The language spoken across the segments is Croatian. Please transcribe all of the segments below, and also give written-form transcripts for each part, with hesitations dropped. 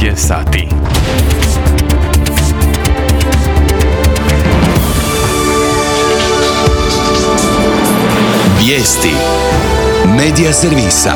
je sati. Vijesti Medija servisa.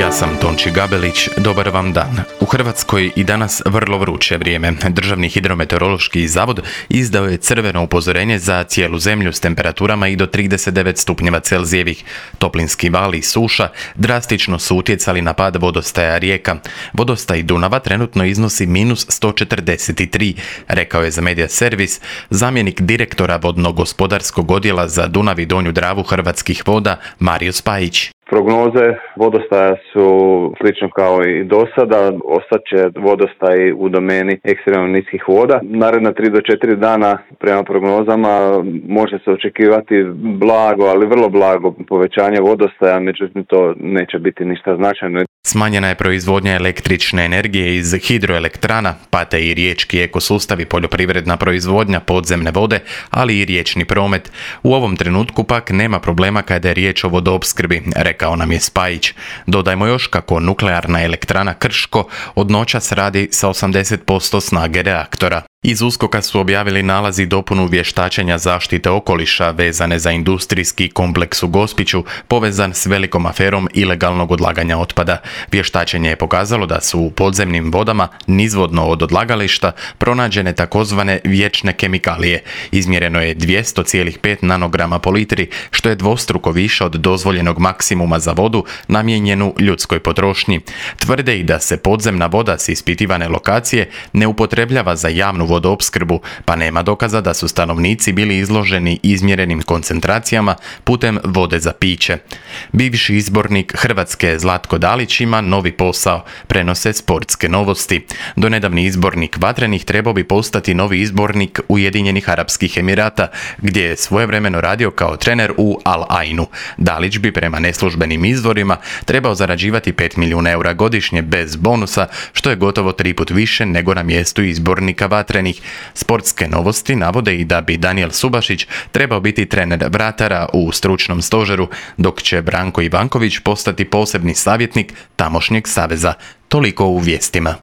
Ja sam Tonči Gabelić, dobar vam dan. U Hrvatskoj i danas vrlo vruće vrijeme. Državni hidrometeorološki zavod izdao je crveno upozorenje za cijelu zemlju s temperaturama i do 39 stupnjeva Celzijevih. Toplinski val i suša drastično su utjecali na pad vodostaja rijeka. Vodostaj Dunava trenutno iznosi minus 143, rekao je za Medija servis zamjenik direktora vodno-gospodarskog odjela za Dunav i Donju Dravu Hrvatskih voda Mario Spajić. Prognoze vodostaja su slično kao i do sada, ostaće vodostaj u domeni ekstremno niskih voda. Naredna 3 do 4 dana prema prognozama može se očekivati blago, ali vrlo blago povećanje vodostaja, međutim to neće biti ništa značajno. Smanjena je proizvodnja električne energije iz hidroelektrana, pate i riječki ekosustavi, poljoprivredna proizvodnja, podzemne vode, ali i riječni promet. U ovom trenutku pak nema problema kada je riječ o vodoopskrbi, rekao nam je Spajić. Dodajmo još kako nuklearna elektrana Krško od noćas radi sa 80% snage reaktora. Iz USKOK-a su objavili nalaz i dopunu vještačenja zaštite okoliša vezane za industrijski kompleks u Gospiću povezan s velikom aferom ilegalnog odlaganja otpada. Vještačenje je pokazalo da su u podzemnim vodama nizvodno od odlagališta pronađene takozvane vječne kemikalije. Izmjereno je 200,5 nanograma po litri, što je dvostruko više od dozvoljenog maksimuma za vodu namijenjenu ljudskoj potrošnji. Tvrde i da se podzemna voda s ispitivane lokacije ne upotrebljava za javnu vodoopskrbu, pa nema dokaza da su stanovnici bili izloženi izmjerenim koncentracijama putem vode za piće. Bivši izbornik Hrvatske Zlatko Dalić ima novi posao, prenose Sportske novosti. Donedavni izbornik Vatrenih trebao bi postati novi izbornik Ujedinjenih Arapskih Emirata, gdje je svojevremeno radio kao trener u Al Ainu. Dalić bi prema neslužbenim izvorima trebao zarađivati 5 milijuna eura godišnje bez bonusa, što je gotovo 3 put više nego na mjestu izbornika Vatrenih. Sportske novosti navode i da bi Danijel Subašić trebao biti trener vratara u stručnom stožeru, dok će Branko Ivanković postati posebni savjetnik tamošnjeg saveza. Toliko u vijestima.